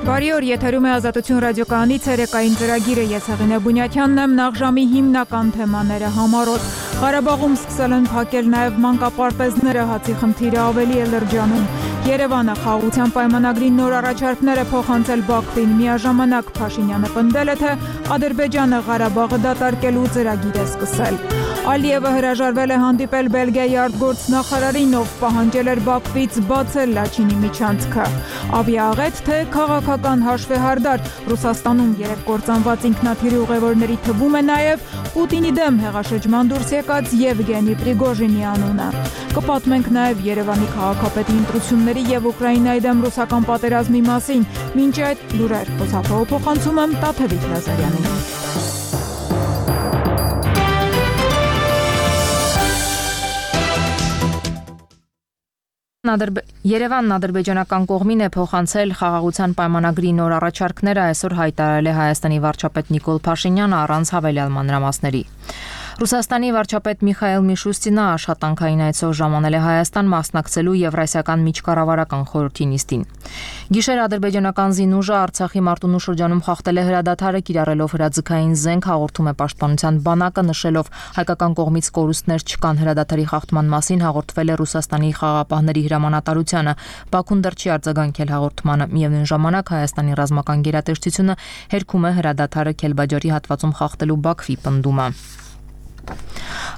Բարի օր, եթերում է Ազատություն ռադիոկայանի ցերեկային ծրագիրը, ես Հեղինե Բունյաթյանն եմ, նախժամի հիմնական թեմաները համառոտ։ Ղարաբաղում սկսել են փակել նաև մանկապարտեզները, հացի խնդիրը ավելի է լրջանում։ Երևանը խաղաղության պայմանագրի նոր առաջարկներ է փոխանցել Բաքվին, միաժամանակ Փաշինյանը պնդել է, թե Ադրբեջանը Ղարաբաղը դատարկելու ծրագիր է սկսել։ Ալիևը հրաժարվել է հանդիպել Բելգիայի արտգործնախարարին, ով պահանջել էր Բաքվից բացել Լաչինի միջանցքը։ Աբի աղետ, թե քաղաքական հաշվեհարդար, Ռուսաստանում երեք կործանված ինքնաթիռի ուղևորների թվում է նաև Պուտինի դեմ հեղաշրջման դուրս եկած Եվգենի Պրիգոժինի անունը։ Կպատմենք նաև Երևանի քաղաքապետի ընտրությունների եւ Ուկրաինայի դեմ ռուսական պատերազմի մասին։ Մինչ այդ լուրեր խոսափողը փոխանցում եմ Տաթևիկ Լազարյանին։ Երևանն ադրբեջանական կողմին է փոխանցել խաղաղության պայմանագրի նոր առաջարկները, այսօր հայտարարել է Հայաստանի վարչապետ Նիկոլ Փաշինյանը առանց հավելյալ մանրամասների։ Ռուսաստանի վարչապետ Միխայել Միշուստինը աշխատանքային այցով ժամանել է Հայաստան մասնակցելու Եվրասիական միջկառավարական խորհրդի նիստին։ Գիշեր ադրբեջանական զինուժը Արցախի Մարտունու շրջանում խախտել է հրադադարը, կիրառելով հրաձգային զենք, հաղորդում է Պաշտպանության բանակը, նշելով հայկական կողմից կորուստներ չկան հրադադարի խախտման մասին, հաղորդվել է Ռուսաստանի խաղաղապահների հրամանատարությանը։ Բաքուն դեռ չի արձագանքել հաղորդմանը։ Միևնույն ժամանակ Հայաստանի ռազմական գերատեսչությունը հերքում է հրադադարը Քելբաջարի հատվածում խախտելու Բաքվի պնդումը։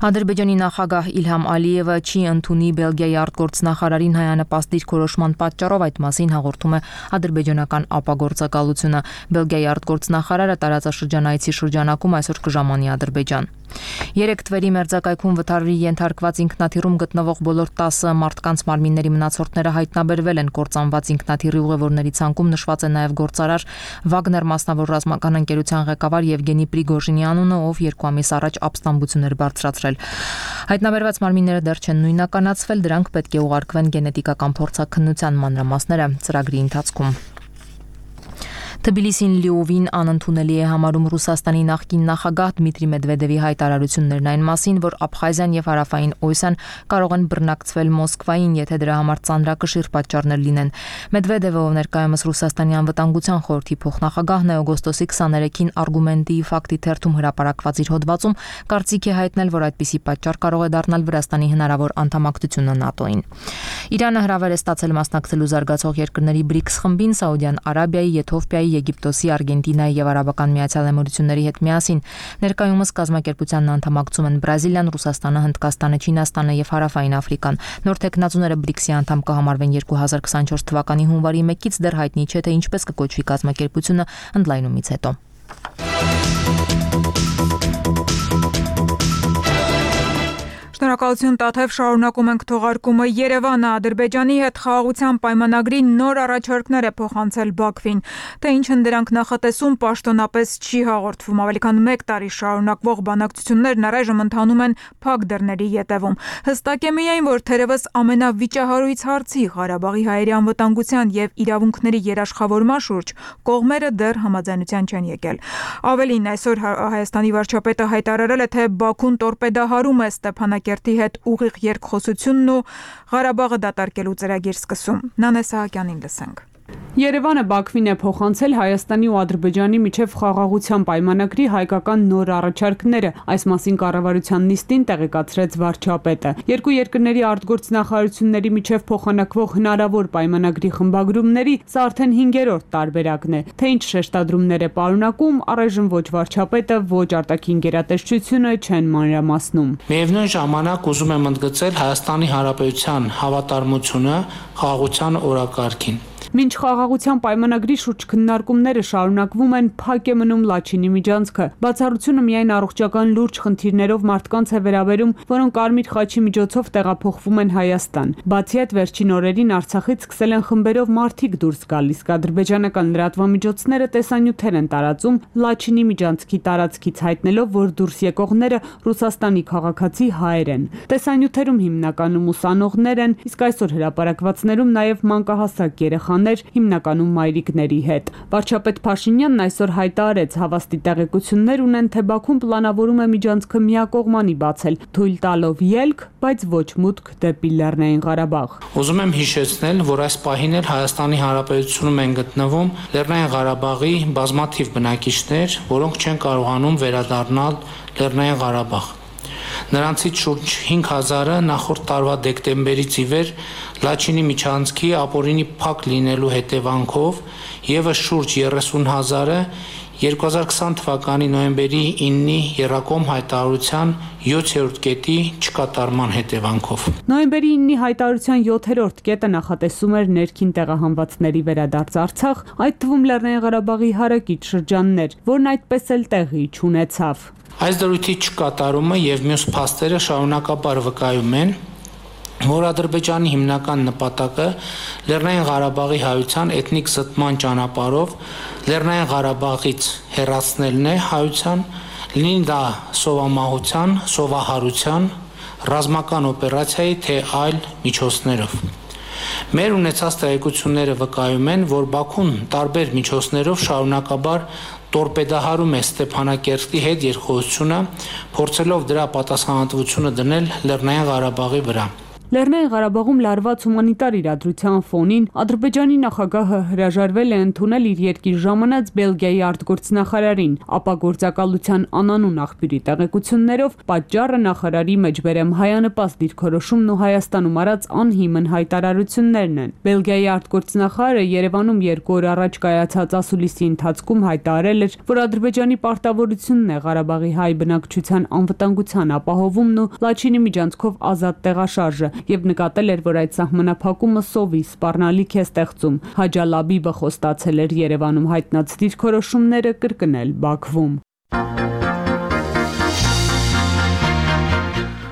Ադրբեջանի նախագահ Իլհամ Ալիևը չի ընդունի Բելգիայի արտգործնախարարին հայանպաստ դիրքորոշման պատճառով, այդ մասին հաղորդում է ադրբեջանական ապագործակալությունը։ Բելգիայի արտգործնախարարը տարածաշրջանայցի շրջանակում այսօր կժամանի Ադրբեջան։ Երեք Թվերի մերձակայքում վթարի ենթարկված ինքնաթիռում գտնվող բոլոր 10 մարդկանց մարմինների մնացորդները հայտնաբերվել են։ Կործանված ինքնաթիռի ուղևորների ցանկում նշված է նաև գործարար Վագներ մասնավոր ռազմական ընկերության ղեկավար Եվգենի Պրիգոժինի անունը, ով 2 ամիս առաջ ապստամբություն էր բարձրացրել։ Հայտնաբերված մարմինները դեռ չեն նույնականացվել, դրանք պետք է ուղարկվեն գենետիկական փորձաքննության մանրամասները ծրագրի ընթացքում։ Թբիլիսին լիովին անընդունելի է համարում Ռուսաստանի նախկին նախագահ Դմիտրի Մեդվեդևի հայտարարություններն այն մասին, որ Աբխազիան եւ Հարավային Օսիան կարող են բռնակցվել Մոսկվային, եթե դրա համար ծանրակշիռ պատճառներ լինեն։ Մեդվեդևը, ով ներկայումս Ռուսաստանի անվտանգության խորհրդի փոխնախագահն է, օգոստոսի 23-ին Արգումենտի ֆակտի թերթում հրապարակված իր հոդվածում կարծիք է հայտնել, որ այդպիսի պատճառ կարող է դառնալ Վրաստանի հնարավոր անդամակցությունը ՆԱՏՕ-ին։ Իրանը հրավեր է ստացել մասնակցելու զարգացող երկրների BRICS խմբին Սաուդյան Արաբիայի, Եթովպիայի, Եգիպտոսի, Արգենտինայի եւ Արաբական Միացյալ Էմիրությունների հետ միասին։ Ներկայումս կազմակերպությանն անդամակցում են Բրազիլիան, Ռուսաստանը, Հնդկաստանը, Չինաստանը եւ Հարավային Աֆրիկան։ Նոր տեխնացուները BRICS-ի անդամ կհամարվեն 2024 թվականի հունվարի 1-ից, դեռ հայտնի չէ, թե ինչպես կկոչվի կազմակերպությունը ընդլայնումից հետո։ Շնորհակալություն Տաթև, շարունակում ենք թողարկումը։ Երևանը Ադրբեջանի հետ խաղաղության պայմանագրի նոր առաջարկներ է փոխանցել Բաքվին, թե ինչ են դրանք նախատեսում, պաշտոնապես չի հաղորդվում։ Ավելի քան 1 տարի շարունակվող բանակցություններն առայժմ ընթանում են փակ դռների ետևում։ Հստակ է միայն, որ թերևս ամենավիճահարույց հարցի Ղարաբաղի հայերի անվտանգության եւ իրավունքների երաշխավորման շուրջ կողմերը դեռ համաձայնության չեն եկել։ Ավելին, այսօր Հայաստանի վարչապետը հայտարարել է, թե Բաքուն տորպեդահարում է Ստեփանակերտի հետ ուղիղ երկխոսությունն ու Ղարաբաղը դատարկելու ծրագիր սկսում։ Նանե Սահակյանին լսենք։ Երևանը Բաքվին է փոխանցել Հայաստանի ու Ադրբեջանի միջև խաղաղության պայմանագրի հայկական նոր առաջարկները։ Այս մասին կառավարության նիստին տեղեկացրեց վարչապետը։ Երկու երկրների արտգործնախարարությունների միջև փոխանակվող հնարավոր պայմանագրի խմբագրումների սա արդեն 5-րդ տարբերակն է։ Թե ինչ շեշտադրումներ է պարունակում, առայժմ ոչ վարչապետը, ոչ արտաքին գերատեսչությունը չեն մանրամասնում։ Միևնույն ժամանակ ուզում եմ ընդգծել Հայաստանի Հանրապետության հավատարմությունը խաղաղության օրակարգին։ Մինչ խաղաղության պայմանագրի շուրջ քննարկումները շարունակվում են, փակ է մնում Լաչինի միջանցքը։ Բացառությունը միայն առողջական լուրջ խնդիրներով մարդկանց է վերաբերում, որոնք Կարմիր խաչի միջոցով տեղափոխվում են Հայաստան։ Բացի այդ, վերջին օրերին Արցախից սկսել են խմբերով մարդիկ դուրս գալիս։ Ադրբեջանական լրատվամիջոցները տեսանյութեր են տարածում Լաչինի միջանցքի տարածքից, հայտնելով, որ դուրս եկողները Ռուսաստանի քաղաքացի հայեր են։ Տեսանյութերում հիմնականում ուսանողներ են, իսկ այսօր հրապարակվածներում նաև մանկահասակ երեխաներ երեխաներ, հիմնականում մայրիկների հետ։ Վարչապետ Փաշինյանն այսօր հայտարարեց, հավաստի տեղեկություններ ունեն, թե Բաքուն պլանավորում է միջանցքը միակողմանի բացել, թույլ տալով ելք, բայց ոչ մուտք դեպի Լեռնային Ղարաբաղ։ Ուզում եմ հիշեցնել, որ այս պահին էլ Հայաստանի Հանրապետությունում են գտնվում Լեռնային Ղարաբաղի բազմաթիվ բնակիչներ, որոնք չեն կարողանում վերադառնալ Լեռնային Ղարաբաղ։ Նրանցից շուրջ 5000-ը նախորդ տարվա դեկտեմբերից ի վեր Լաչինի միջանցքի ապօրինի փակ լինելու հետևանքով եւս շուրջ 30,000-ը 2020 թվականի նոյեմբերի 9-ի Եռակոմ հայտարարության 7-րդ կետի չկատարման հետևանքով։ Նոյեմբերի 9-ի հայտարարության 7-րդ կետը նախատեսում էր ներքին տեղահանվածների վերադարձ Արցախ, այդ թվում Լեռնային Ղարաբաղի հարակից շրջաններ, որն այդպես էլ տեղի չունեցավ։ Այս դրույթի չկատարումը եւ մյուս փաստերը շարունակաբար վկայում են, որ Ադրբեջանի հիմնական նպատակը Լեռնային Ղարաբաղի հայության էթնիկ զտման ճանապարհով Լեռնային Ղարաբաղից հեռացնելն է հայության, լինի դա սովամահության, սովահարության, ռազմական օպերացիայի թե այլ միջոցներով։ Մեր ունեցած տեղեկությունները վկայում են, որ Բաքուն տարբեր միջոցներով շարունակաբար տորպեդահարում է Ստեփանակերտի հետ երկխոսությունը, փորձելով դրա պատասխանատվությունը դնել Լեռնային Ղարաբաղի վրա։ Լեռնային Ղարաբաղում լարված հումանիտար իրադրության ֆոնին Ադրբեջանի նախագահը հրաժարվել է ընդունել իր երկիր ժամանած Բելգիայի արտգործնախարարին, ապա գործակալության անանուն աղբյուրի տեղեկություններով պատճառը նախարարի մեջբերեմ հայանպաստ դիրքորոշումն ու Հայաստանում արած անհիմն հայտարարություններն են։ Բելգիայի արտգործնախարարը Երևանում 2 օր առաջ կայացած ասուլիսի ընթացքում հայտարարել էր, որ Ադրբեջանի պարտավորությունն է Ղարաբաղի հայ բնակչության անվտանգության ապահովումն ու Լաչինի միջանցքով ազատ տեղաշարժը եւ նկատել էր, որ այդ սահմանափակումը սովի սպառնալիք է ստեղծում։ Հաջալաբիբը խոստացել էր Երևանում հայտնած դիրքորոշումները կրկնել Բաքվում։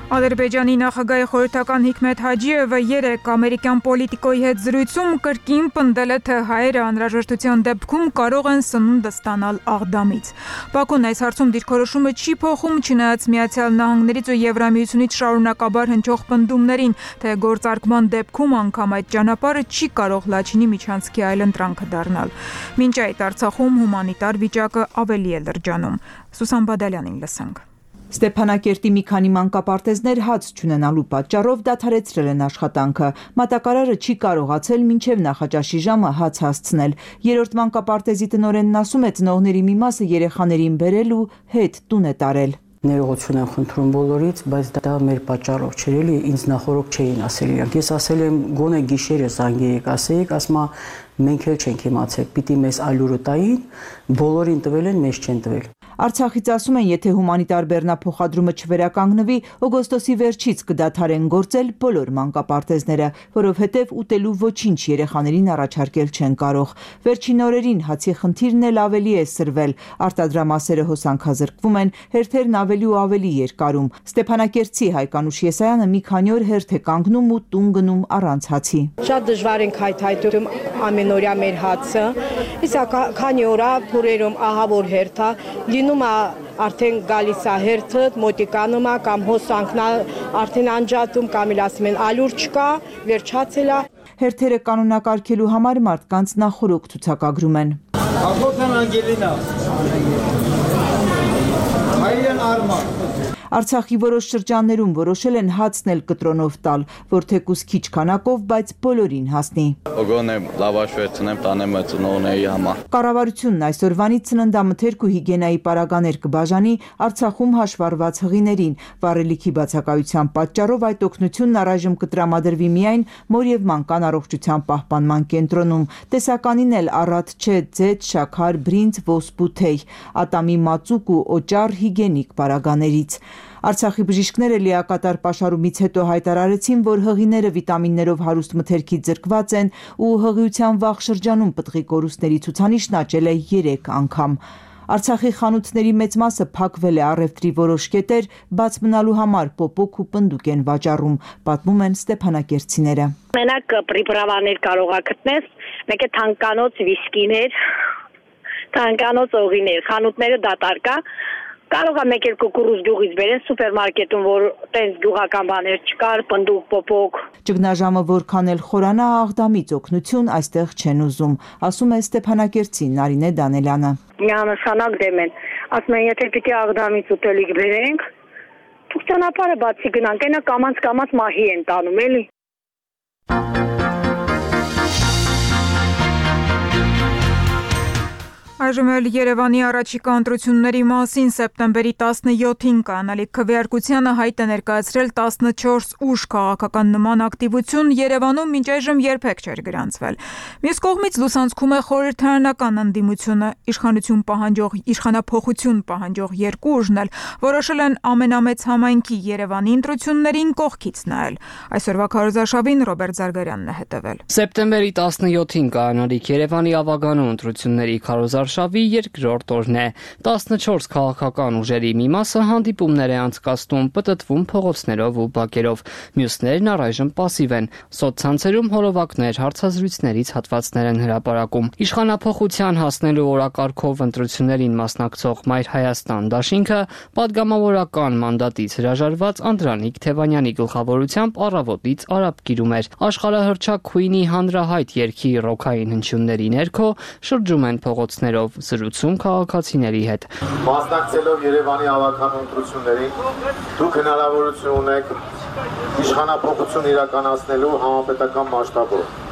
Ադրբեջանի նախագահի խորհրդական Հիկմեթ Հաջիևը երեկ ամերիկյան պոլիտիկոյի հետ զրույցում կրկին պնդել է, թե հայերը անհրաժեշտության դեպքում կարող են սնունդ ստանալ Աղդամից։ Բաքուն այս հարցում դիրքորոշումը չի փոխում, չնայած Միացյալ Նահանգներից ու Եվրամիությունից շարունակաբար հնչող պնդումներին, թե գործարկման դեպքում անգամ այդ ճանապարհը չի կարող Լաչինի միջանցքի այլընտրանքը դառնալ։ Մինչ այդ Արցախում հումանիտար վիճակը ավելի է լրջանում։ Սուսան Բադալյանին լսենք։ Ստեփանակերտի մի քանի մանկապարտեզներ հաց չունենալու պատճառով դադարեցրել են աշխատանքը։ Մատակարարը չի կարողացել մինչև նախաճաշի ժամը հաց հասցնել։ Երրորդ մանկապարտեզի տնօրենն ասում է, ծնողների մի մասը երեխաներին բերել ու հետ տուն է տարել։ Ներողություն եմ խնդրում բոլորից, բայց դա մեր պատճառով չէր, էլի ինձ նախորդ չէին ասել իրանք։ Ես ասել եմ գոնե գիշերը զանգեիք, ասեիք, ասма մենք էլ չենք իմացել, պիտի մեզ այլուրը տային, բոլորին տվել են, մեզ չեն տվել։ Արցախից ասում են, եթե հումանիտար բեռնափոխադրումը չվերականգնվի, օգոստոսի վերջից կդադարեն գործել բոլոր մանկապարտեզները, որովհետև ուտելու ոչինչ երեխաներին առաջարկել չեն կարող։ Վերջին օրերին հացի խնդիրն էլ ավելի է սրվել, արտադրամասերը հոսանքազրկվում են, հերթերն ավելի ու ավելի երկարում։ Ստեփանակերտցի Հայկանուշ Եսայանը մի քանի օր հերթ է կանգնում ու տուն գնում առանց հացի։ Շատ դժվար ենք հայթայթում ամենօրյա մեր հացը, իսկ քանի օրա փուրերում ահա որ հերթ է, լինում է արդեն գալիս է հերթը, մոտիկանում է կամ հոսանքն է արդեն անջատում, կամ էլ ասում են ալուր չկա, վերջացել է։ Հերթերը կանոնակարգելու համար մարդկանց նախորոք ցուցակագրում են։ Աղոթան Անգելինա, Հայրեն Արման։ Արցախի որոշ շրջաններում որոշել են հացն էլ կտրոնով տալ, որ թեկուզ քիչ քանակով, բայց բոլորին հասնի։ Օգոնե լավաշ վերցնեմ, տանեմ ծնողների համար։ Կառավարությունն այսօրվանից ծննդամթերք ու հիգիենայի պարագաներ կբաժանի Արցախում հաշվառված հղիներին։ Վառելիքի բացակայության պատճառով այդ օգնությունն առայժմ կտրամադրվի միայն մոր եւ մանկան առողջության պահպանման կենտրոնում։ Տեսականին էլ առատ չէ ձեթ, շաքար, բրինձ, ոսպու թեյ, ատամի մածուկ ու օճառ հիգիենիկ պարագաներից։ Արցախի բժիշկները լիակատար պաշարումից հետո հայտարարեցին, որ հղիները վիտամիններով հարուստ մթերքից զրկված են ու հղիության վաղ շրջանում պտղի կորուստների ցուցանիշն աճել է 3 անգամ։ Արցախի խանութների մեծ մասը փակվել է, առևտրի որոշ կետեր բաց մնալու համար պոպոկ ու պնդուկ են վաճառում, պատմում են ստեփանակերտցիները։ Մենակ պրիպրավաներ կարող ա գտնես, մեկ է թանկանոց վիսկիներ, թանկանոց օղիներ, խանութները դատարկ է, Կարող է մեկ-երկու կուրուս գյուղից բերեն սուպերմարկետում, որ տենց գյուղական բաներ չկար, պնդուկ, պոպոկ։ Ճգնաժամը որքան էլ խորանա, Աղդամից օգնություն այստեղ չեն ուզում, ասում է Ստեփանակերտցի Նարինե Դանելյանը։ Միանշանակ դեմ են։ Ասում են, եթե պիտի Աղդամից ուտելիք բերենք, դուք ճանապարհը բացի գնանք, այնա կամած մահի են տանում, էլի։ Այժմ էլ Երևանի առաջիկա ընտրությունների մասին սեպտեմբերի 17-ին կանալիք քվեարկությանը հայտ է ներկայացրել 14 ուժ քաղաքական նման ակտիվություն Երևանում մինչ այժմ երբեք չէր գրանցվել։ Մյուս կողմից լուսանցքում է խորհրդարանական ընդդիմությունը, իշխանափոխություն պահանջող երկու ուժն էլ որոշել են ամենամեծ համայնքի Երևանի ընտրություններին կողքից նայել։ Այսօրվա քարոզարշավին Ռոբերտ Զարգարյանն է հետևել։ Սեպտեմբերի 17-ին կանալիք Երևանի ավագանու ընտրությունների քարոզարշավի երկրորդ օրն է։ 14 քաղաքական ուժերի մի մասը հանդիպումներ է անցկացնում, պտտվում փողոցներով ու բակերով։ Մյուսներն առայժմ պասիվ են։ Սոցցանցերում հոլովակներ, հարցազրույցներից հատվածներ են հրապարակում։ Իշխանափոխության հասնելու օրակարգով ընտրություններին մասնակցող Մայր Հայաստան դաշինքը պատգամավորական մանդատից հրաժարված Անդրանիկ Թևանյանի գլխավորությամբ առավոտից արաբկիրում էր։ Աշխարհահռչակ հանրահայտ երգի ռոքային հնչյունների ներքո շրջում են փողոցներով, զրուցում քաղաքացիների հետ։ Մասնակցելով Երևանի ավագանու ընտրություններին, դուք հնարավորություն ունեք իշխանափոխություն իրականացնելու համապետական մասշտաբով։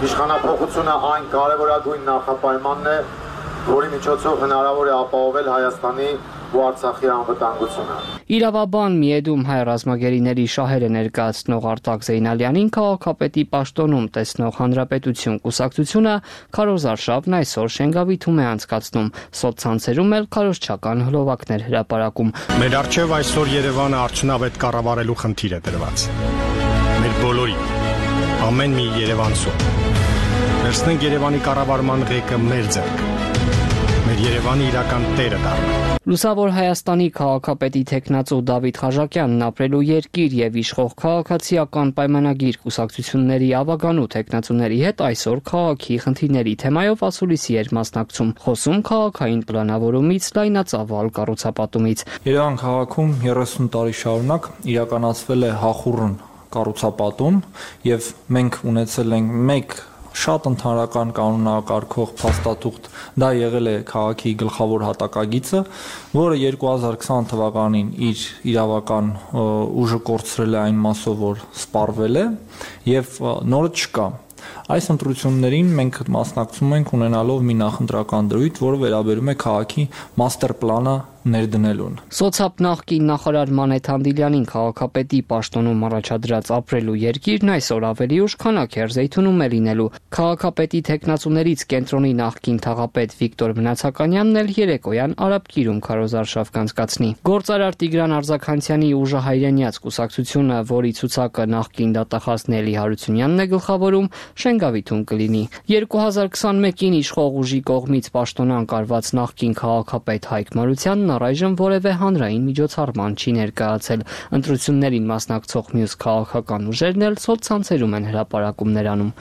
Իշխանափոխությունը այն կարևորագույն նախապայմանն է, որի միջոցով հնարավոր է ապահովել Հայաստանի ու Արցախի անվտանգությունը։ Իրավաբան Միեդում հայ ռազմագերիների շահերը ներկայացնող Արտակ Զեյնալյանին քաղաքապետի պաշտոնում տեսնող Հանրապետություն կուսակցությունը քարոզարշավն այսօր Շենգավիթում է անցկացնում, սոցցանցերում էլ քարոզչական հլովակներ հրապարակում։ Մեր առջև այսօր Երևանը արդյունավետ կառավարելու խնդիր է դրված։ Մեր բոլորի, ամեն մի երևանցու։ Վերցնենք Երևանի կառավարման ղեկը մեր ձեռք։ Մեր Երևանի իրական տերը դառնա։ Լուսավոր Հայաստանի քաղաքապետի տեխնացու Դավիթ Խաժակյանն ապրելու երկիր եւ իշխող քաղաքացիական պայմանագիր կուսակցությունների ավագանու տեխնացուների հետ այսօր քաղաքի խնդիրների թեմայով ասուլիսի էր մասնակցում, խոսում քաղաքային պլանավորումից, լայնածավալ կառուցապատումից։ Երևան քաղաքում 30 տարի շարունակ իրականացվել է հախուռն կառուցապատում եւ մենք ունեցել ենք մեկ շատ ընդհանրական կանոնակարգող փաստաթուղթ, դա եղել է քաղաքի գլխավոր հատակագիծը, որը 2020 թվականին իր իրավական ուժը կորցրել է այն մասով, որ սպառվել է եւ նորը չկա։ Այս ընտրություններին մենք մասնակցում ենք ունենալով մի նախընտրական դրույթ, որը վերաբերում է քաղաքի մաստեր պլանը ներդնելուն։ Սոցապ նախկին նախարար Մանեթ Հանդիլյանին քաղաքապետի պաշտոնում առաջադրած ապրելու երկիրն այսօր ավելի ուշ քանաքեր Զեյթունում է լինելու։ Քաղաքապետի տեխնացուներից կենտրոնի նախկին թաղապետ Վիկտոր Մնացականյանն էլ երեկոյան արաբկիրում քարոզարշավ կանցկացնի։ Գործարար Տիգրան Արձաքանցյանի ուժը հայրենյաց կուսակցությունը, որի ցուցակը նախկին դատախազ Նելի Հարությունյանն է գլխավորում, Շենգավիթում կլինի։ 2021-ին իշխող ուժի կողմից պաշտոնանկ արված նախկին քաղաքապետ Հայկ Մարությանն առայժմ որևէ հանրային միջոցառման չի ներկայացել։ Ընտրություններին մասնակցող մյուս քաղաքական ուժերն էլ սոցցանցերում են հրապարակումներ անում։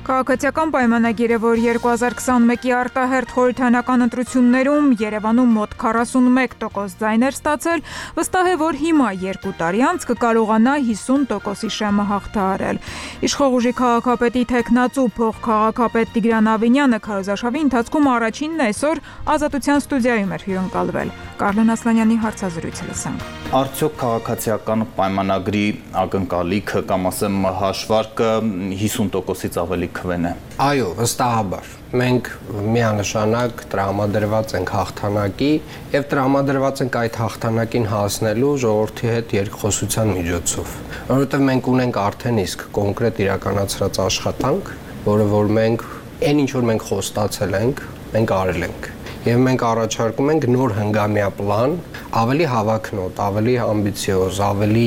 Քաղաքացիական պայմանագիրը, որ 2021-ի արտահերթ խորհրդարանական ընտրություններում Երևանում մոտ 41% ձայներ ստացել, վստահ է, որ հիմա 2 տարի անց կկարողանա 50%-ի շեմը հաղթահարել։ Իշխող ուժի քաղաքապետի տեխնացու փոխքաղաքապետ Տիգրան Ավինյանը քարոզարշավի ընթացքում առաջինն այսօր Ազատության ստուդիայում էր հյուրընկալվել։ Կարլեն Ասլանյանի հարցազրույցը լսանք։ Արդյոք քաղաքացիական պայմանագրի ակնկալիքը կամ ասեմ հաշվարկը 50%-ից ավելի քվեն է։ Այո, վստահաբար։ Մենք միանշանակ տրամադրված ենք հաղթանակի եւ տրամադրված ենք այդ հաղթանակին հասնելու ժողովրդի հետ երկխոսության միջոցով, որովհետեւ մենք ունենք արդեն իսկ կոնկրետ իրականացրած աշխատանք, որը որ մենք այն ինչ որ մենք խոստացել ենք, մենք արել ենք։ Եվ մենք առաջարկում ենք նոր հնգամյա պլան, ավելի հավակնոտ, ավելի ամբիցիոզ, ավելի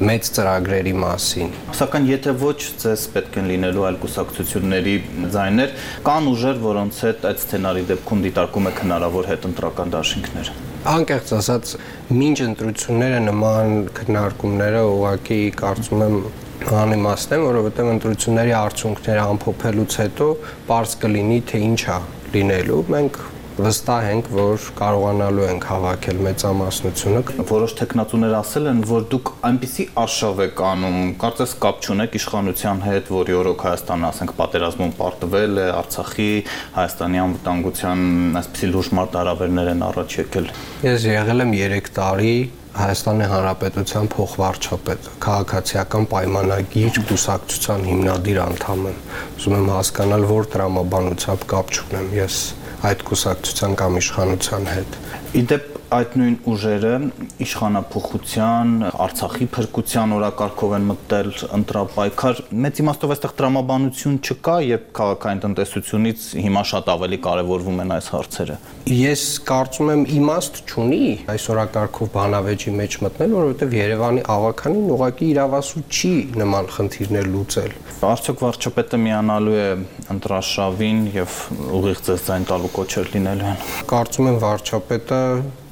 մեծ ծրագրերի մասին։ Սակայն եթե ոչ ձեզ պետք են լինելու այլ կուսակցությունների ձայներ, կան ուժեր, որոնց հետ այդ սցենարի դեպքում դիտարկում եք հնարավոր հետընտրական դաշինքներ։ Անկեղծ ասած, մինչ ընտրությունները նման քննարկումները ուղղակի կարծում եմ անիմաստ են, որովհետև ընտրությունների արդյունքները ամփոփելուց հետո պարզ կլինի, թե ինչ է լինելու, մենք վստահ ենք, որ կարողանալու ենք հավաքել մեծամասնությունը։ Որոշ տեխնատուներ ասել են, որ դուք այնպիսի արշավ եք անում, կարծես կապ չունեք իշխանության հետ, որի օրոք Հայաստանը, ասենք, պատերազմում պարտվել է, Արցախի, Հայաստանի անվտանգության այսպիսի լուրջ մարտահրավերներ են առաջ եկել։ Ես եղել եմ 3 տարի Հայաստանի Հանրապետության փոխվարչապետ, քաղաքացիական պայմանագիր կուսակցության հիմնադիր անդամ եմ։ Ուզում եմ հասկանալ, որ տրամաբանությամբ կապ չունեմ ես այդ կուսակցության կամ իշխանության հետ։ Իդեպ այդ նույն ուժերը իշխանափոխության, Արցախի փրկության օրակարգով են մտել ընտրապայքար, մեծ իմաստով այստեղ տրամաբանություն չկա, երբ քաղաքային տնտեսությունից հիմա շատ ավելի կարևորվում են այս հարցերը։ Ես կարծում եմ իմաստ չունի այս օրակարգով բանավեճի մեջ մտնել, որովհետև Երևանի ավականին ուղղակի իրավասու չի նման խնդիրներ լուծել։ Արդյոք վարչապետը միանալու է ընտրարշավին եւ ուղիղ ձեզ ձայն տալու կոչեր լինելու են։ Կարծում եմ վարչապետը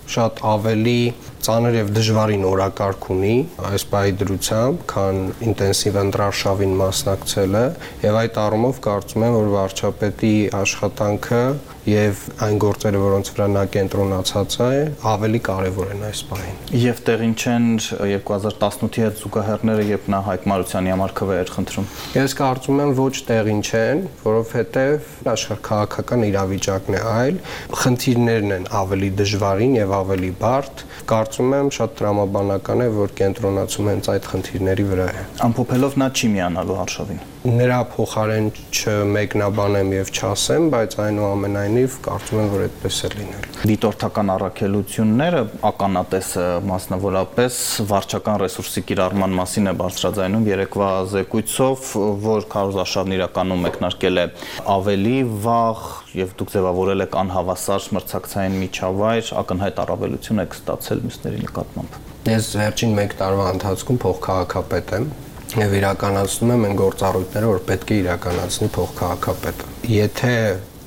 շատ ավելի ծանր եւ դժվարին օրակարգ ունի այս պահի դրությամբ, քան ինտենսիվ ընտրարշավին մասնակցելը, եւ այդ առումով կարծում եմ, որ վարչապետի աշխատանքը եւ այն գործերը, որոնց վրա նա կենտրոնացած է, ավելի կարեւոր են այս պահին։ Եվ տեղին չեն 2018-ի հետ զուգահեռները, երբ նա Հայկ Մարությանի համար քվեեր խնդրում։ Ես կարծում եմ ոչ տեղին չեն, որովհետեւ աշխարհքաղաքական իրավիճակն է այլ, խնդիրներն են ավելի դժվարին եւ ավելի բարդ։ Կարծում եմ շատ տրամաբանական է, որ կենտրոնացում հենց այդ խնդիրների վրա է։ Ամփոփելով նա չի միանալու արշավին։ Նրա փոխարեն չմեկնաբանեմ եւ չասեմ, բայց այնուամենայնիվ կարծում եմ, որ այդպես է լինել։ Դիտորդական առաքելությունները ականատեսը մասնավորապես վարչական ռեսուրսի կիրառման մասին է բարձրաձայնում երեկվա զեկույցով, որ քարոզարշավն իրականում մեկնարկել է ավելի վաղ եւ դուք ձևավորել եք անհավասար մրցակցային միջավայր, ակնհայտ առավելություն եք ստացել մյուսների նկատմամբ։ Ես վերջին 1 տարվա ընթացքում փոխքաղաքապետ եմ եւ իրականացնում եմ այն գործառույթները, որ պետք է իրականացնի փոխքաղաքապետը։ Եթե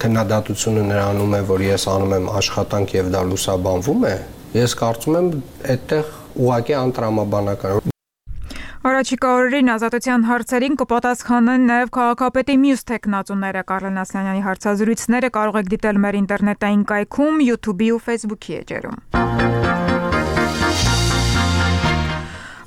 քննադատությունը նրանում է, որ ես անում եմ աշխատանք եւ դա լուսաբանվում է, ես կարծում եմ այդտեղ ուղղակի անտրամաբանական։ Առաջիկա օրերին ազատության հարցերին կպատասխանեն նաև քաղաքապետի մյուս տեխնատուները։ Կարլեն Ասլանյանի հարցազրույցները կարող եք դիտել մեր ինտերնետային կայքում, YouTube-ի ու Facebook-ի էջերում։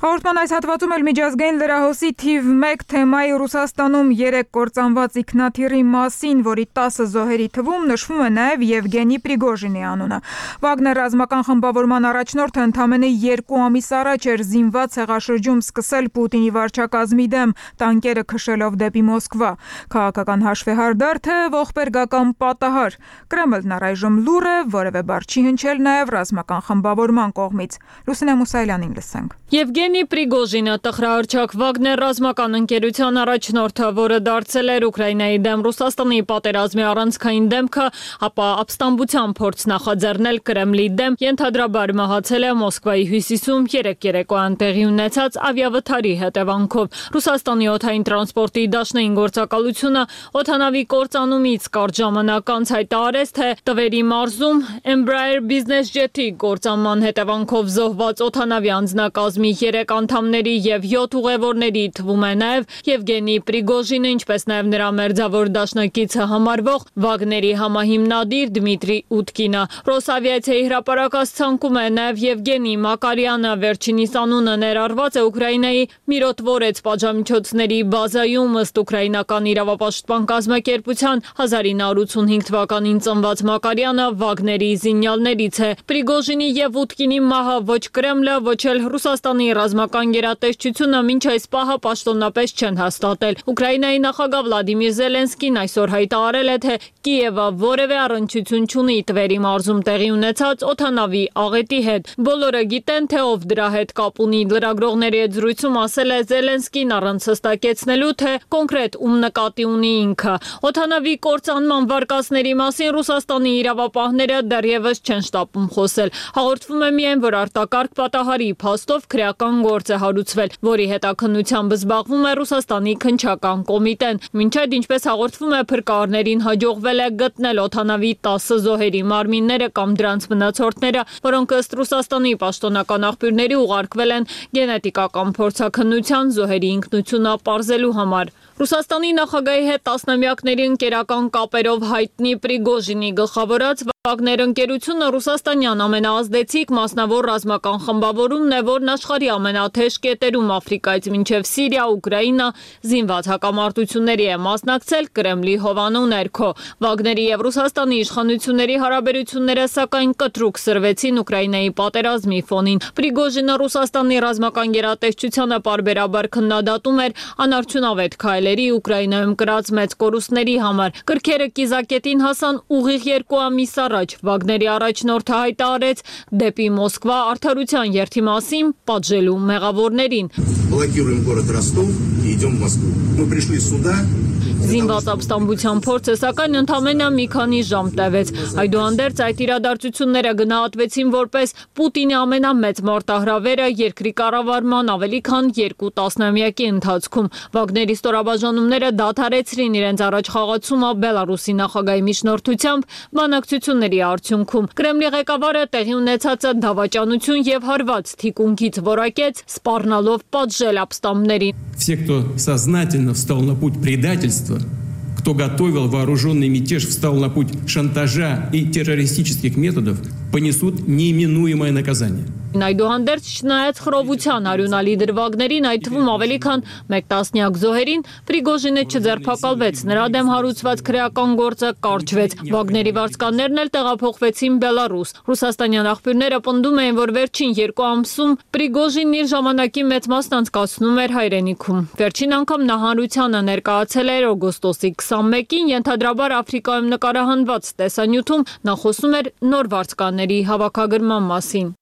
Հաղորդման այս հատվածում էլ միջազգային լրահոսի թիվ 1 թեմայի Ռուսաստանում 3 կործանված ինքնաթիռի մասին, որի 10 զոհերի թվում նշվում է նաև Եվգենի Պրիգոժինի անունը։ Վագներ ռազմական խմբավորման առաջնորդը ընդամենը 2 ամիս առաջ էր զինված հեղաշրջում սկսել Պուտինի վարչակազմի դեմ, տանկերը քշելով դեպի Մոսկվա։ Քաղաքական հաշվեհարդար թե ողբերգական պատահար։ Կրեմլն առայժմ լուռ է, որևէ բառ չի հնչել նաև ռազմական խմբավորման կողմից։ Լուսինե Մուսայելյանին լսենք։ Եվգենի Պրիգոժինը տխրահարչակ Վագներ ռազմական ընկերության առաջնորդը, որը դարձել էր Ուկրաինայի դեմ Ռուսաստանի պատերազմի առանցքային դեմքը, ապա ապստամբության փորձ նախաձեռնել Կրեմլի դեմ, ենթադրաբար մահացել է Մոսկվայի հյուսիսում 3 երեկոյան տեղի ունեցած ավիավթարի հետևանքով։ Ռուսաստանի օդային տրանսպորտի դաշնային գործակալությունը օդանավի կործանումից կարճ ժամանակ անց հայտարարեց, թե Տվերի մարզում Embraer Business Jet-ի կործանման հետևանքով զոհված օդանավի անձնակազմի 3 անդամների եւ 7 ուղևորների թվում է նաեւ Եվգենի Պրիգոժինը, ինչպես նաեւ նրա մերձավոր դաշնակիցը համարվող Վագների համահիմնադիր Դմիտրի Ուտկինը։ Ռոսավիացիայի հրապարակած ցանկում է նաեւ Եվգենի Մակարյանը, վերջինիս անունը ներառված է Ուկրաինայի Միրոտվորեց պատժամիջոցների բազայում, ըստ ուկրաինական իրավապաշտպան կազմակերպության 1985 թվականին ծնված Մակարյանը Վագների զինյալներից է։ Պրիգոժինի եւ Ուտկինի մահը ոչ Կրեմլը, ոչ էլ Ռուսաստանի ռազմական գերատեսչությունը մինչ այս պահը պաշտոնապես չեն հաստատել։ Ուկրաինայի նախագահ Վլադիմիր Զելենսկին այսօր հայտարարել է, թե Կիևը որևէ առնչություն չունի Տվերի մարզում տեղի ունեցած օդանավի աղետի հետ։ Բոլորը գիտեն, թե ով դրա հետ կապ ունի։ Լրագրողների հետ զրույցում ասել է Զելենսկին առանց հստակեցնելու, թե կոնկրետ ում նկատի ունի ինքը։ Օդանավի կործանման վարկածների մասին Ռուսաստանի իրավապահները դեռևս չեն շտապում խոսել։ Հաղորդվում է միայն, որ արտակարգ պատահարի փաստով քրեական քրեական գործ է հարուցվել, որի հետաքննությամբ զբաղվում է Ռուսաստանի քննչական կոմիտեն։ Մինչև ինչպես հաղորդվում է, փրկարարներին հաջողվել է գտնել օդանավի 10 զոհերի մարմինները կամ դրանց մնացորդները, որոնք ըստ Ռուսաստանի պաշտոնական աղբյուրների ուղարկվել են գենետիկական փորձաքննության զոհերի ինքնությունը պարզելու համար։ Ռուսաստանի նախագահի հետ տասնամյակների ընկերական կապերով հայտնի Պրիգոժինի գլխավորած Վագներ ընկերությունը ռուսաստանյան ամենաազդեցիկ մասնավոր ռազմական խմբավորումն է, որն աշխարհի ամենաթեժ կետերում Աֆրիկայից մինչև Սիրիա, Ուկրաինա զինված հակամարտությունների է մասնակցել Կրեմլի հովանու ներքո։ Վագների եւ Ռուսաստանի իշխանությունների հարաբերությունները սակայն կտրուկ սրվեցին Ուկրաինայի պատերազմի ֆոնին։ Պրիգոժինը Ռուսաստանի ռազմական գերատեսչությանը պարբերաբար քննադատում էր անարդյունավետ քայլերի Ուկրաինայում կրած մեծ կորուստների համար։ Կրքերը կիզակետին հասան ուղիղ 2 ամիս առաջ։ Վագների առաջնորդը հայտարարեց դեպի Մոսկվա արդարության երթի մասին պատժելու մեղավորներին։ Զինված ապստամբության փորձը սակայն ընդամենը մի քանի ժամ տևեց։ Այդուհանդերձ այդ իրադարձությունները գնահատվեցին որպես Պուտինի ամենամեծ մարտահրավերը երկրի կառավարման ավելի քան 2 տասնամյակի ընթացքում։ Վագների ստորաբաժանումները դադարեցրին իրենց առաջխաղացումը Բելարուսի նախագահի միջնորդությամբ բանակցությունների արդյունքում։ Կրեմլի ղեկավարը տեղի ունեցածը դավաճանություն եւ հարված թիկունքից որակեց, սպառնալով պատժել ապստամբներին։ Все, кто сознательно встал на путь предательства, кто готовил вооруженный мятеж, встал на путь шантажа и террористических методов, понесут неименуемое наказание. Այդուհանդերձ չնայած խռովության արյունալի դրվագներին, այդ թվում ավելի քան 1 տասնյակ զոհերին, Պրիգոժինը չձերբակալվեց, նրա դեմ հարուցված քրեական գործը կարճվեց։ Վագների վարձկաններն էլ տեղափոխվեցին Բելարուս։ Ռուսաստանյան աղբյուրները պնդում էին, որ վերջին 2 ամսում Պրիգոժինն իր ժամանակի մեծ մասն անցկացնում էր հայրենիքում։ Վերջին անգամ նա հանրությանը ներկայացել էր օգոստոսի 21-ին, ենթադրաբար Աֆրիկայում նկարահանված տեսանյութում նա խոսում էր նոր վարձկանների հավաքագրման մասին։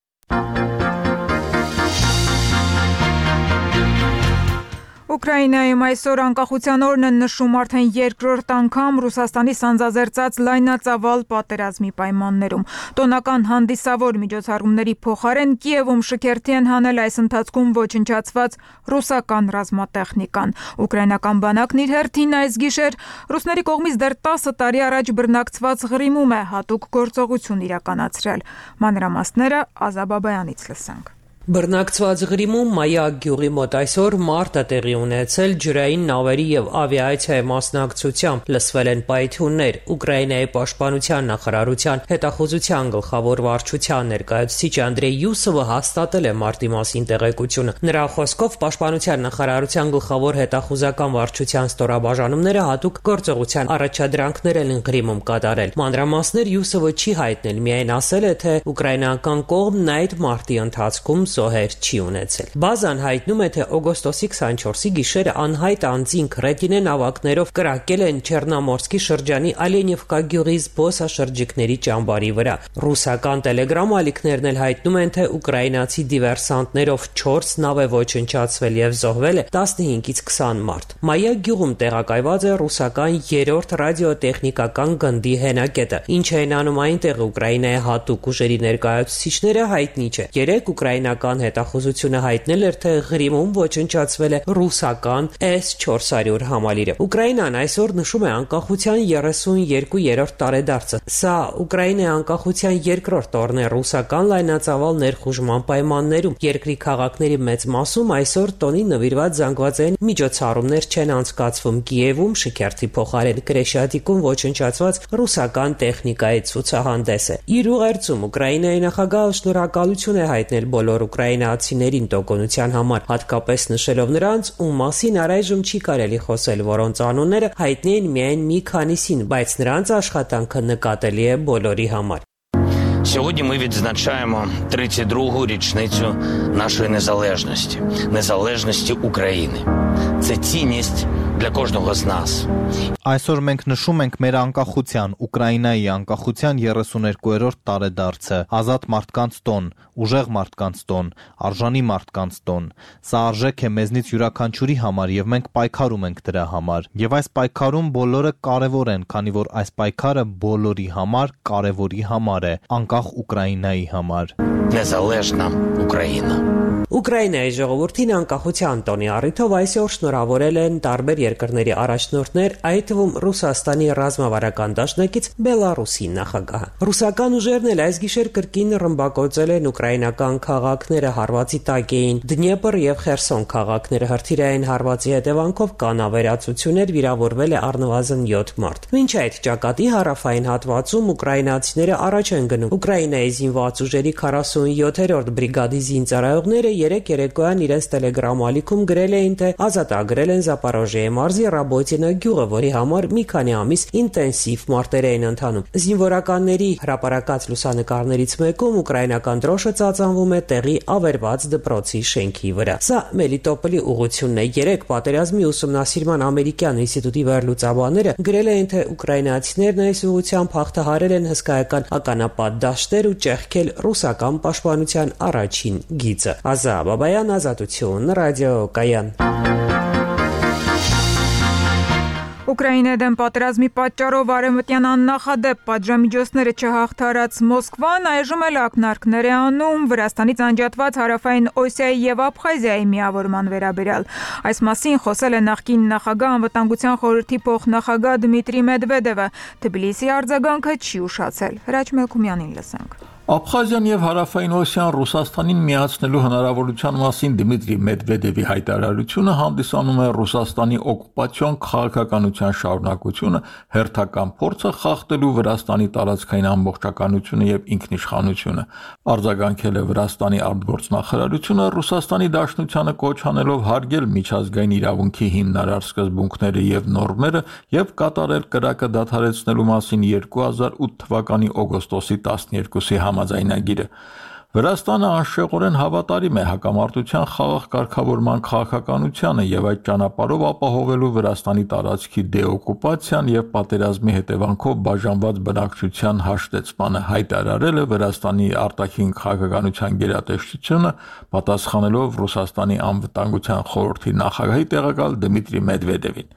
Ուկրաինայում այսօր անկախության օրն են նշում արդեն երկրորդ անգամ Ռուսաստանի սանձազերծած լայնածավալ պատերազմի պայմաններում։ Տոնական հանդիսավոր միջոցառումների փոխարեն Կիևում շքերթի են հանել այս ընթացքում ոչնչացված ռուսական ռազմատեխնիկան։ Ուկրաինական բանակն իր հերթին այս գիշեր ռուսների կողմից դեռ 10 տարի առաջ բռնակցված Ղրիմում է հատուկ գործողություն իրականացրել։ Մանրամասները Ազաբաբայանից լսենք։ Բռնակցված Ղրիմում Մայակ գյուղի մոտ այսօր մարդ է տեղի ունեցել ջրային նավերի եւ ավիացիայի մասնակցությամբ, լսվել են պայթյուններ։ Ուկրաինայի պաշտպանության նախարարության հետախուզության գլխավոր վարչության ներկայացուցիչ Անդրեյ Յուսովը հաստատել է մարտի մասին տեղեկությունը։ Նրա խոսքով պաշտպանության նախարարության գլխավոր հետախուզական վարչության ստորաբաժանումները հատուկ գործողության առաջադրանքներ են Ղրիմում կատարել։ Մանրամասներ Յուսովը չի հայտնել, միայն ասել է, թե ուկրաինական կողմն այդ մարտի ընթացքում զոհեր չի ունեցել։ Բազան հայտնում է, թե օգոստոսի 24-ի գիշերը անհայտ անձինք ռետինե նավակներով կրակել են Չեռնոմորսկի շրջանի Ալենիվկա գյուղի զբոսաշրջիկների ճամբարի վրա։ Ռուսական տելեգրամ ալիքներն էլ հայտնում են, թե ուկրաինացի դիվերսանտներով 4 նավ է ոչնչացվել եւ զոհվել է 15-ից 20 մարդ։ Մայակ գյուղում տեղակայված է ռուսական 3-րդ ռադիոտեխնիկական գնդի հենակետը։ Ինչ են անում այնտեղ Ուկրաինայի հատուկ ուժերի ներկայացուցիչները հայտնի չէ։ 3 ուկրաինական հետախուզությունը հայտնել էր, թե Ղրիմում ոչնչացվել է ռուսական S-400 համալիրը։ Ուկրաինան այսօր նշում է անկախության 32-րդ տարեդարձը։ Սա Ուկրաինայի անկախության երկրորդ օրն է ռուսական լայնածավալ ներխուժման պայմաններում։ Երկրի քաղաքների մեծ մասում այսօր տոնի նվիրված զանգվածային միջոցառումներ չեն անցկացվում։ Կիևում շքերթի փոխարեն Կրեշատիկում ոչնչացված ռուսական տեխնիկայի ցուցահանդես է։ Իր ուղերձում Ուկրաինայի նախագահը շնորհակալություն է հայտնել բոլոր ուկրաինացիներին տոկունության համար, հատկապես նշելով նրանց, ում մասին առայժմ չի կարելի խոսել, որոնց անունները հայտնի են միայն մի քանիսին, բայց նրանց աշխատանքը нікателі է բոլորի համար. Сьогодні ми відзначаємо 32-гу річницю нашої незалежності України. Це цінність для каждого из нас. Այսօր մենք նշում ենք մեր անկախության, Ուկրաինայի անկախության 32-րդ տարեդարձը, ազատ մարդկանց տոն, ուժեղ մարդկանց տոն, արժանի մարդկանց տոն։ Սա արժեք է մեզնից յուրաքանչյուրի համար եւ մենք пայքարում ենք դրա համար։ Եվ այս պայքարում բոլորը կարևոր են, քանի որ այս պայքարը բոլորի համար կարևորի համար է, անկախ Ուկրաինայի համար։ Незалежна Україна. Ուկրաինայի ժողովրդին անկախության տոնի առիթով այսօր շնորհավորել են տարբեր երկրների առաջնորդներ, այդ թվում Ռուսաստանի ռազմավարական դաշնակից Բելարուսի նախագահը։ Ռուսական ուժերն էլ այս գիշեր կրկին ռմբակոծել են ուկրաինական քաղաքները, հարվածի տակ էին Դնեպր եւ Խերսոն քաղաքները, հրթիռային հարվածի հետևանքով կանավերացություններ, վիրավորվել է առնվազն 7 մարդ։ Մինչ այդ ճակատի հարավային հատվածում ուկրաինացիները առաջ են գնում։ Ուկրաինայի զինված ուժերի 47-րդ բրիգադի զինծառայողները երեք երեկոյան իրենց տելեգրամ ալիքում գրել էին, թե ազատագրել են Զապորոժիայի մարզի Ռաբոտինա գյուղը, որի համար մի քանի ամիս ինտենսիվ մարտեր էին ընթանում։ Զինվորականների հրապարակած լուսանկարներից մեկում ուկրաինական դրոշը ծածանվում է տեղի ավերված դպրոցի շենքի վրա։ Սա Մելիտոպոլի ուղղությունն է։ Երեք պատերազմի ուսումնասիրման ամերիկյան ինստիտուտի վերլուծաբանները գրել էին, թե ուկրաինացիներն այս ուղղությամբ հաղթահարել են հսկայական ականապատ դաշտեր ու ճեղքել ռուսական պաշտպանության առաջին գիծը։ Բաբայան, Ազատություն, ռադիոկայան։ Ուկրաինայի դեմ պատերազմի պատճառով արևմտյան աննախադեպ պատժամիջոցները չհաղթարած Մոսկվան այժմ էլ ակնարկներ է անում Վրաստանից անջատված հարավային Օսիայի եւ Աբխազիայի միավորման վերաբերյալ։ Այս մասին խոսել է նախկին նախագահ անվտանգության խորհրդի փոխնախագահ Դմիտրի Մեդվեդևը։ Թբիլիսի արձագանքը չի ուշացել։ Հրաչ Մելքումյանին լսենք։ Աբխազիան եւ Հարավային Օսիան Ռուսաստանին միացնելու հնարավորության մասին Դմիտրի Մեդվեդևի հայտարարությունը հանդիսանում է Ռուսաստանի օկուպացիոն քաղաքականության շարունակությունը, հերթական փորձը խախտելու Վրաստանի տարածքային ամբողջականությունը եւ ինքնիշխանությունը։ Արձագանքել է Վրաստանի արտգործնախարարությունը Ռուսաստանի Դաշնությանը կոչ անելով հարգել միջազգային իրավունքի հիմնարար սկզբունքները եւ նորմերը եւ կատարել կրակը դադարեցնելու մասին 2008 թվականի օգոստոսի 12-ի համաձայնագիրը։ Վրաստանը անշեղորեն հավատարիմ է հակամարտության խաղաղ կարգավորման քաղաքականությանը եւ այդ ճանապարհով ապահովելու Վրաստանի տարածքի դեօկուպացիան եւ պատերազմի հետևանքով բաժանված բնակչության հաշտեցմանը, հայտարարել է Վրաստանի արտաքին քաղաքականության գերատեսչությունը, պատասխանելով Ռուսաստանի անվտանգության խորհրդի նախագահի տեղակալ Դմիտրի Մեդվեդևին։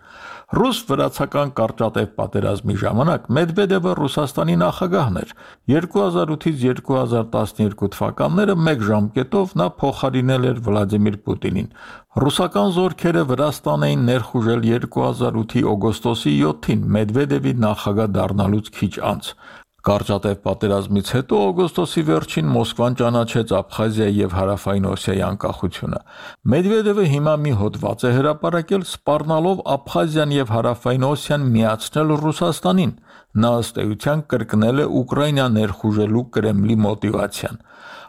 Ռուս-վրացական կարճատև պատերազմի ժամանակ Մեդվեդևը Ռուսաստանի նախագահն էր։ 2008-ից 2012 թվականները մեկ ժամկետով նա փոխարինել էր Վլադիմիր Պուտինին։ Ռուսական զորքերը Վրաստան էին ներխուժել 2008-ի օգոստոսի 7-ին Մեդվեդևի նախագահ դառնալուց քիչ անց։ Կարճատև պատերազմից հետո օգոստոսի վերջին Մոսկվան ճանաչեց Աբխազիայի եւ Հարավային Օսիայի անկախությունը։ Մեդվեդևը հիմա մի հոդված է հրապարակել սպառնալով Աբխազիան եւ Հարավային Օսիան միացնել Ռուսաստանին։ Նա ըստ էության կրկնել է Ուկրաինա ներխուժելու Կրեմլի մոտիվացիան։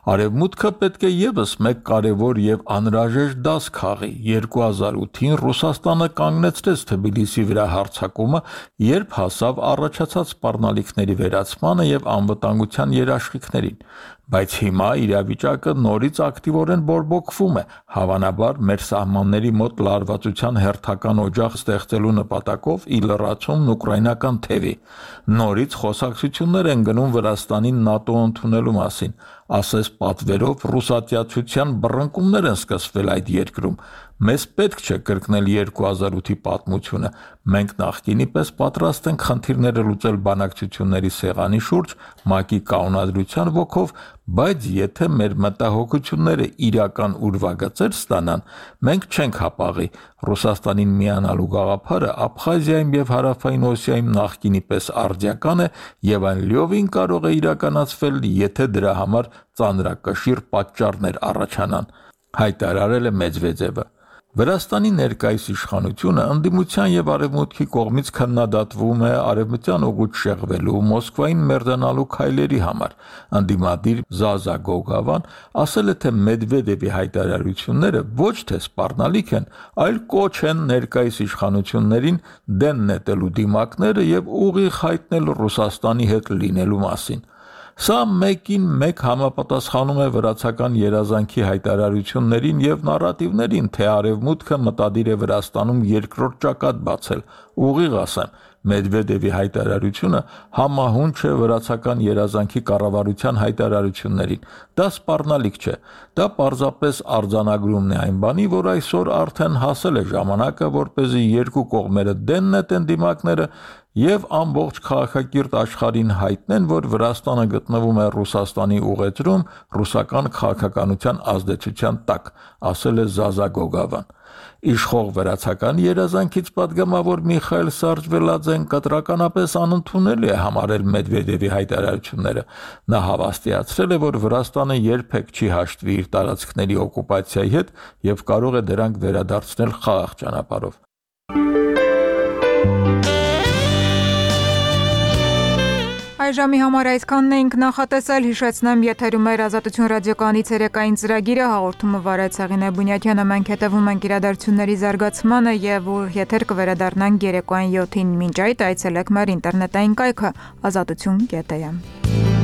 Արևմուտքը պետք է եւս մեկ կարևոր եւ անհրաժեշտ դաս քաղի։ 2008-ին Ռուսաստանը կանգնեցրեց Թբիլիսի վրա հարձակումը, երբ հասավ առաջացած սպառնալիքների վերացմանը եւ անվտանգության երաշխիքներին։ Բայց հիմա իրավիճակը նորից ակտիվորեն բորբոքվում է, հավանաբար մեր սահմանների մոտ լարվածության հերթական օջախ ստեղծելու նպատակով ի լրացումն ուկրաինական թևի։ Նորից խոսակցություններ են գնում Վրաստանին ՆԱՏՕ ընդունելու մասին, ասես պատվերով ռուսատյացության բռնկումներ են սկսվել այդ երկրում։ Մեզ պետք չէ կրկնել 2008-ի պատմությունը։ Մենք նախկինի պես պատրաստ ենք խնդիրները լուծել բանակցությունների սեղանի շուրջ ՄԱԿ-ի կանոնադրության ոգով, բայց եթե մեր մտահոգությունները իրական ուրվագծեր ստանան, մենք չենք հապաղի։ Ռուսաստանին միանալու գաղափարը Աբխազիայում եւ Հարավային Օսիայում նախկինի պես արդիական է եւ այն լիովին կարող է իրականացվել, եթե դրա համար ծանրակշիռ պատճառներ առաջանան, հայտարարել է Մեդվեդևը։ Վրաստանի ներկայիս իշխանությունը ընդդիմության եւ արևմուտքի կողմից քննադատվում է արևմտյան ուղուց շեղվելու, Մոսկվային մերձանալու քայլերի համար։ Ընդդիմադիր Զազա Գոգավան ասել է, թե Մեդվեդևի հայտարարությունները ոչ թե սպառնալիք են, այլ կոչ են ներկայիս իշխանություններին դեն նետելու դիմակները եւ ուղիղ հայտնել Ռուսաստանի հետ լինելու մասին։ Սա մեկին մեկ համապատասխանում է վրացական երազանքի հայտարարություններին եւ նարատիվներին, թե Արևմուտքը մտադիր է Վրաստանում երկրորդ ճակատ բացել։ Ուղիղ ասեմ, Մեդվեդևի հայտարարությունը համահունչ է վրացական երազանքի կառավարության հայտարարություններին։ Դա սպառնալիք չէ։ Դա պարզապես արձանագրումն է այն բանի, որ այսօր արդեն հասել է ժամանակը, որպեսզի երկու կողմերը դեն նետեն դիմակները եւ ամբողջ քաղաքակիրթ աշխարհին հայտնեն, որ Վրաստանը գտնվում է Ռուսաստանի ուղեծրում ռուսական քաղաքականության ազդեցության տակ, ասել է Զազա Գոգավան։ Իշխող վրացական երազանքից պատգամավոր Միխայել Սարժվելաձեն կտրականապես անընդունելի է համարել Մեդվեդևի հայտարարությունները։ Նա հավաստիացրել է, որ Վրաստանը երբեք չի հաշտվի իր տարածքների օկուպացիայի հետ եւ կարող է դրանք վերադարձնել խաղաղ ճանապարհով։ Այժմի համար այսքանն էինք նախատեսել, հիշեցնեմ, եթերում էր Ազատություն ռադիոկայանի ցերեկային ծրագիրը, հաղորդումը վարեց Հեղինե Բունյաթյանը, մենք հետևում ենք իրադարձությունների զարգացմանը եւ եթեր կվերադառնանք երեկոյան 7-ին։ Մինչ այդ այցելեք մեր ինտերնետային կայքը azatutun.am